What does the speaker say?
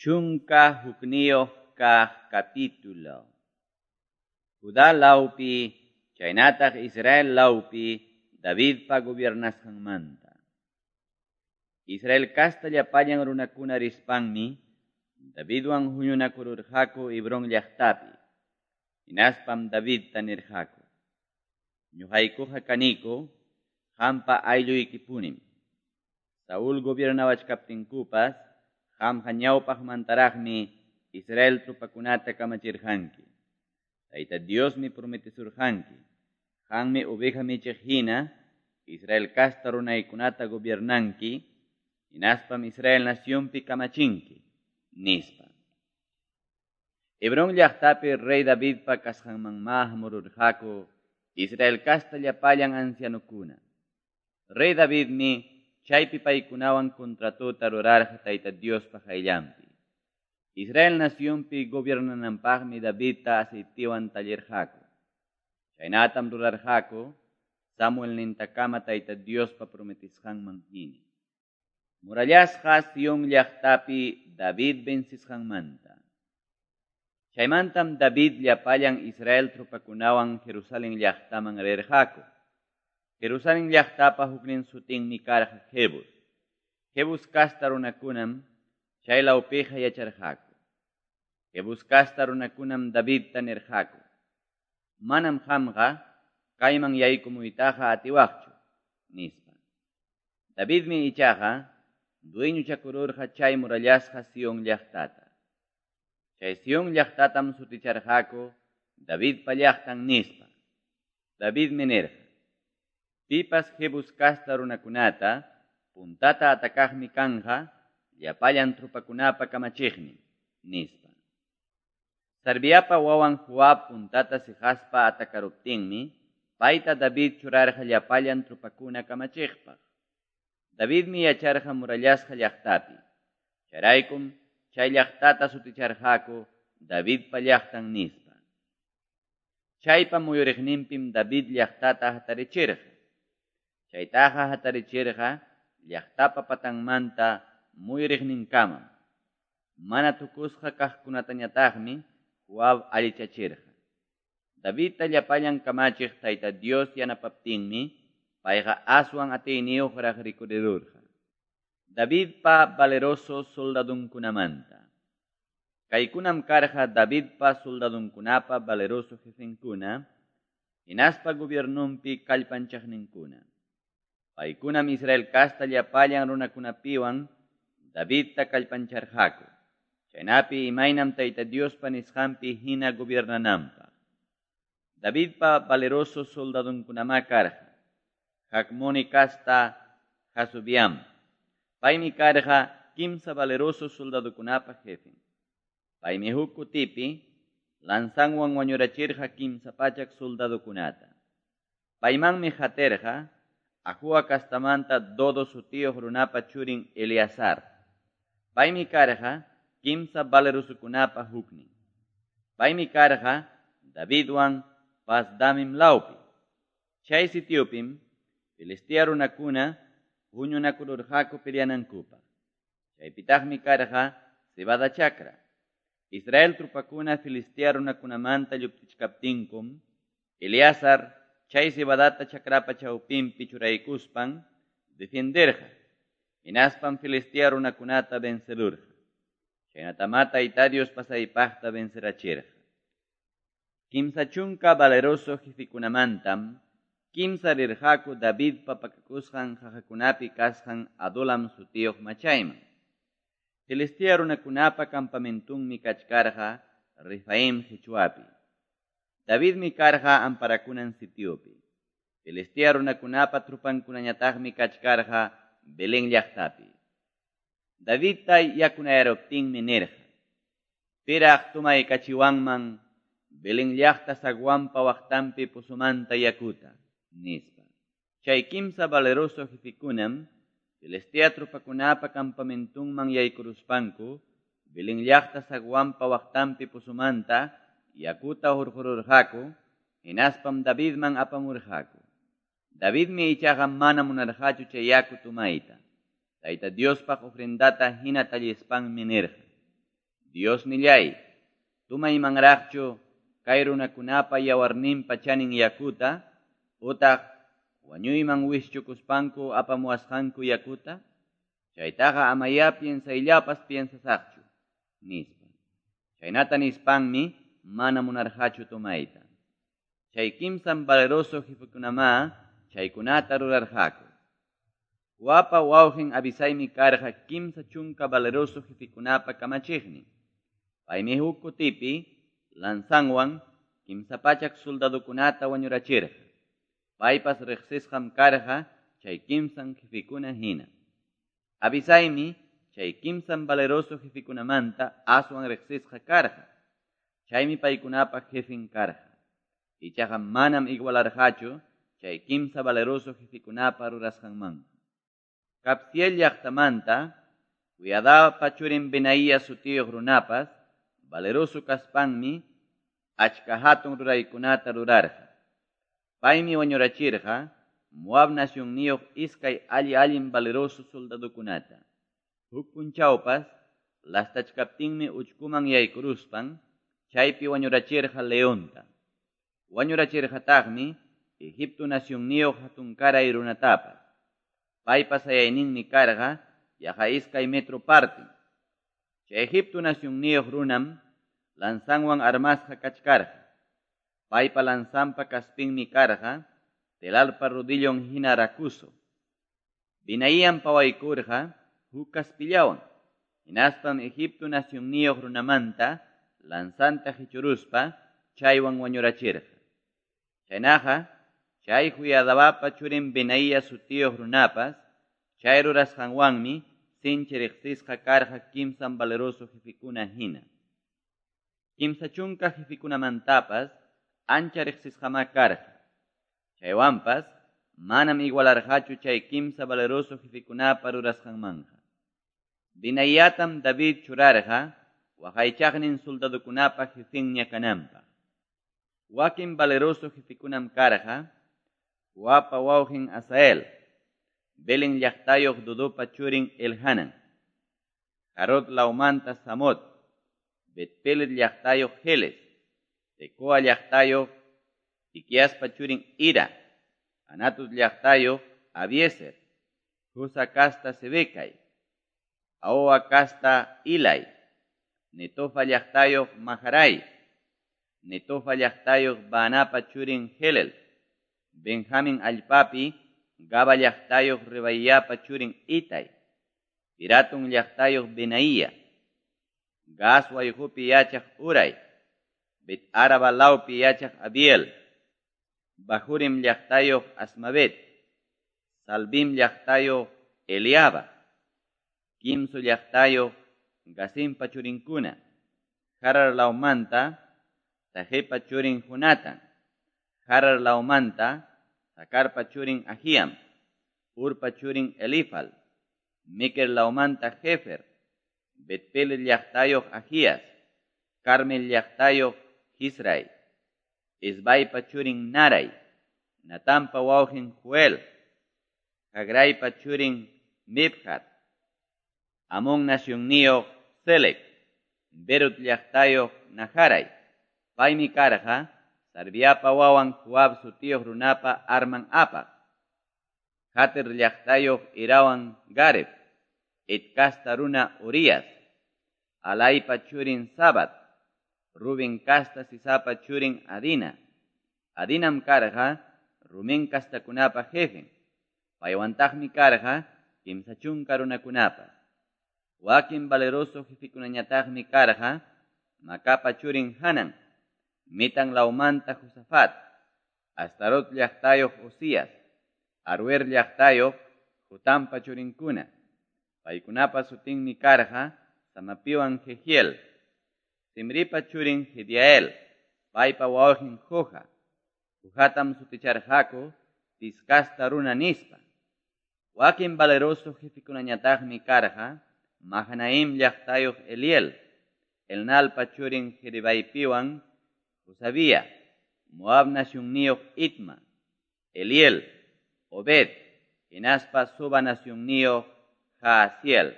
11 kaq capítulo. Judá lawpi chaynataq Israel lawpi Davidpa gobiernasqanmanta. Israel kasta llapallan runakuna rispanmi Davidwan huñunakururqaku Hebrón llaqtapi. Hinaspam Davidta nirqaku: Ñuqaykuqa kaniku qampa aylluykipunim. Saúl gobiernawachkaptinkupas qamqa ñawpaqmantaraqmi Israel tropakunata kamachirqanki. Tayta Diosmi prometesurqanki, qammi oveja michiq hina Israel kasta runaykunata gobiernanki, hinaspam Israel nacionpi kamachinki, nispa. Hebrón llaqtapi rey Davidpa kasqanmanmá hamururqaku Israel kasta llapallan ancianokuna. Rey Davidmi chaypi paykunawan contratota rurarqa Tayta Diospa qayllanpi. Israel nacionpi gobiernananpaqmi Davidta aceitiwan tallirqaku. Chaynatam rurarqaku Samuel nintakama Tayta Diospa prometisqanman hina. Murallasqa Sion llaqtapi David vencisqanmanta. Chaymantam David llapallan Israel tropakunawan Jerusalén llaqtaman rirqaku. Jerusalén llaqtapa huknin sutinmi karqa Jebus. Jebus kasta runakunam chay lawpiqa yacharqaku. Jebus kasta runakunam Davidta nirqaku: Manam qamqa kayman yaykumuytaqa atiwaqchu, nispa. Davidmi ichaqa dueñochakururqa chay murallasqa Sion llaqtata. Chay Sion llaqtatam suticharqaku Davidpa llaqtan nispa. Davidmi nirqa: Pipas Jebus kasta runakunata puntata atakaqmi kanqa llapallan tropakunapa kamachiqnin, nispa. Sarviapa wawan Joab puntata siqaspa atakaruptinmi payta David churarqa llapallan tropakuna kamachiqpaq. Davidmi yacharqa murallasqa llaqtapi. Chayraykum chay llaqtata suticharqaku Davidpa llaqtan nispa. Chaypa muyuriqninpim David llaqtata hatarichirqa. Chaytaqa hatarichirqa llaqtapa patanmanta muyuriqninkamam. Mana tukusqa kaqkunatañataqmi Joab allichachirqa. Davidta llapallan kamachiq Tayta Dios yanapaptinmi payqa aswan atiyniyuqraq rikurirurqa. Davidpa valeroso soldadunkunamanta. Kaykunam karqa Davidpa soldadunkunapa valeroso jefenkuna, hinaspa gobiernunpi kallpanchaqninkuna. Paykunam Israel kasta llapallan runakunapiwan Davidta kallpancharqaku. Chaynapi imaynam Tayta Diospa nisqanpi hina gobiernananpaq. Davidpa valeroso soldadunkunamá karqa Hacmoni kasta Jasubiam. Paymi karqa kimsa valeroso soldadokunapa jefen. Paymi huk kutipi lanzanwan wañurachirqa 300 soldadokunata. Paymanmi qatirqa Ahoa kastamanta Dodo sutiyuq runapa churin Eleazar. Paymi karqa kimsa valerosokunapa huknin. Paymi karqa Davidwan Pasdamim lawpi. Chay sitiopim Filistea runakuna huñunakururqaku peleanankupaq. Chaypitaqmi karqa cebada chakra. Israel tropakuna Filistea runakunamanta lluptichkaptinkum, Eleazar chay cebadata chakrapa chawpinpi churaykuspan defenderqa. Hinaspam Filistea runakunata vencerurqa. Chaynatamá Tayta Dios pasaypaqta vencerachirqa. 30 valeroso jefekunamantam kimsa rirqaku Davidpa pakakusqan qaqakunapi kasqan Adulam sutiyuq machayman. Filistea runakunapa campamentunmi kachkarqa Refaim qichwapi. Davidmi karqa amparakunan sitiopi. Filistea runakunapa tropankunañataqmi kachkarqa Belén llaqtapi. Davidta yakunayaruptinmi nirqa: Piraq tumaykachiwanman Belén llaqta zaguanpa waqtanpi pozomanta yakuta, nispa. Chay kimsa valeroso jefekunam Filistea tropakunapa campamentunman yaykuruspanku Belén llaqta zaguanpa waqtanpi pozomanta yakuta hurqururqaku, hinaspam Davidman apamurqaku. Davidmi ichaqa mana munarqachu chay yaku tumayta. Tayta Diospaq ofrendata hina tallispanmi nirqa: Diosnilláy, tumaymanraqchu kay runakunapa yawarninpa chanin yakuta, utaq wañuyman wischukuspanku apamuwasqanku yakuta? Chaytaqa amayá piensayllapas piensasaqchu, nispa. Chaynata nispanmi mana munarqachu tomayta. Chay kimsan valeroso jefekunamá chaykunata rurarqaku. Joabpa wawqin Abisaymi karqa 30 valeroso jefekunapa kamachiqnin. Paymi huk kutipi lanzanwan 300 soldadokunata wañurachirqa. Paypas riqsisqam karqa chay kimsan jefekuna hina. Abisaymi chay kimsan valeroso jefekunamanta aswan riqsisqa karqa. Chaymi paykunapa jefen karqa. Ichaqa manam igualarqachu chay kimsa valeroso jefekunapa rurasqanmanqa. Kabziel llaqtamanta Joiadapa churin Benaía sutiyuq runapas valeroso kaspanmi achka hatun ruraykunata rurarqa. Paymi wañurachirqa Moab nacionniyuq iskay alli-allin valeroso soldadokunata. Huk punchawpas lastachkaptinmi uchkuman yaykuruspan chaypi wañurachirqa leonta. Wañurachirqataqmi Egipto nacionniyuq hatunkaray runatapas. Paypa sayayninmi karqa yaqa 2 metro partin. Chay Egipto nacionniyuq runam lanzanwan armasqa kachkarqa. Paypa lanzanpa kaspinmi karqa telalpa rodillon hina rakuso. Binaíam pawaykurqa huk kaspillawan. Hinaspam Egipto nacionniyuq runamanta lanzanta qichuruspa chaywan wañurachirqa. Chaynaqa chay Joiadabapa churin Benaía sutiyuq runapas chay rurasqanwanmi sinchi riqsisqa karqa kimsan valeroso jefekuna hina. 30 jefekunamantapas ancha riqsisqamá karqa. Chaywanpas manam igualarqachu chay kimsa valeroso jefekunapa rurasqanmanqa. Benaíatam David churarqa waqaychaqnin soldadokunapa jefenña kananpaq. Wakin valeroso jefekunam karqa Joabpa wawqin Asael, Belén llaqtayuq Dudupa churin Elhanan, Harod lawmanta Samot, Betpelet llaqtayuq Heles, Tecoa llaqtayuq Iquiaspa churin Ira, Anatot llaqtayuq Abiezer, Husa kasta Sebecai, Ahoa kasta Ilai, Netofa llaqtayuq Maharai, Netofa llaqtayuq Baanapa churin Helel, Benjamin allpapi Gaba llaqtayuq Rebaiyapa churin Itai, Piratun llaqtayuq Benaía, Gaas wayqupi yachaq Uray, Bet Araba lawpi yachaq Abiel, Bahurim llaqtayuq Asmavet, Salbim llaqtayuq Eliaba, Kimsu llaqtayuq Gasimpa churinkuna, Harar lawmanta Tajepa churin Jonatan, Harar lawmanta Sakarpa churin Ahiam, Urpa churin Elifal, Miker lawmanta Jefer, Betpelet llaqtayuq Ahias, Carmel llaqtayuq Hisray, Esbaypa churin Naray, Natampa wawqin Joel, Hagraypa churin Mibhar, Amón nacionniyuq Selec, Berut llaqtayuq Naharay, paymi karqa Sarviapa wawan Joab sutiyuq runapa arman apaq, Jater llaqtayuq Irawan Gareb, Et kasta runa Urias, Alaypa churin Sabat, Rubén kasta Sisapa churin Adina. Adinam karqa Rumen kastakunapa jefen, paywantaqmi karqa 30 runakunapas. Wakin valeroso jefekunañataqmi karqa Macapa churin Hanan, Mitan lawmanta Josafat, Astarot llaqtayuq Usías, Aruer llaqtayuq Jotampa churinkuna. Paykunapa sutinmi karqa Samapiwan Jehiel, Simripa churin Jediael, paypa wawqin Joha. Johatam suticharqaku Tiskasta runa nispa. Wakin valeroso jefekunañataqmi karqa Mahanaim llaqtayuq Eliel, Elnalpa churin Jeribaypiwan Josabía, Moab nacionniyuq Itma, Eliel, Obed, hinaspa Suba nacionniyuq Jaasiel.